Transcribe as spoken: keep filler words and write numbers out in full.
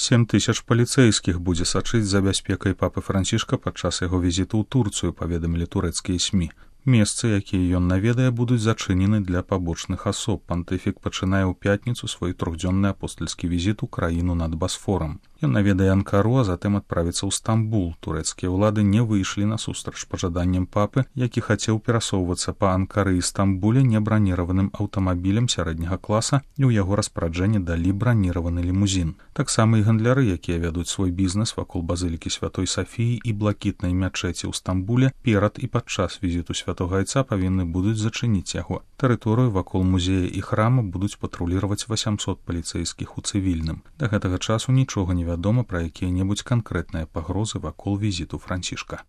сем тысяч паліцэйскіх будзе сачыць за бяспекай папы Францішка падчас яго візіту ў Турцыю, паведамілі турэцкія СМІ. Месцы, якія ён наведае, будуць зачынены для пабочных асоб. Пантыфік пачынае ў пятніцу свой трохдзённы апостальскі візіт у краіну над Басфорам. Ён наведае Анкару, а затым адправіцца ў Стамбул. Турэцкія ўлады не выйшлі насустрач пажаданням папы, які хацеў перасоўвацца па Анкары і Стамбуле небраніраваным аўтамабілем сярэдняга класа, і ў яго распараджэнне далі браніраваны лімузін. Таксама і гандляры, якія вядуць свой бізнес вакол базылікі Святой Сафіі і блакітнай мячэці ў Стамбуле, перад і падчас візіту Святога Айца павінны будуць зачыніць яго. Тэрыторыю вакол музея і храма будуць патруліраваць васямсот паліцэйскіх у цывільным. Да гэтага часу нічога не вядома пра якія-небудзь канкрэтныя пагрозы вакол візіту Францішка.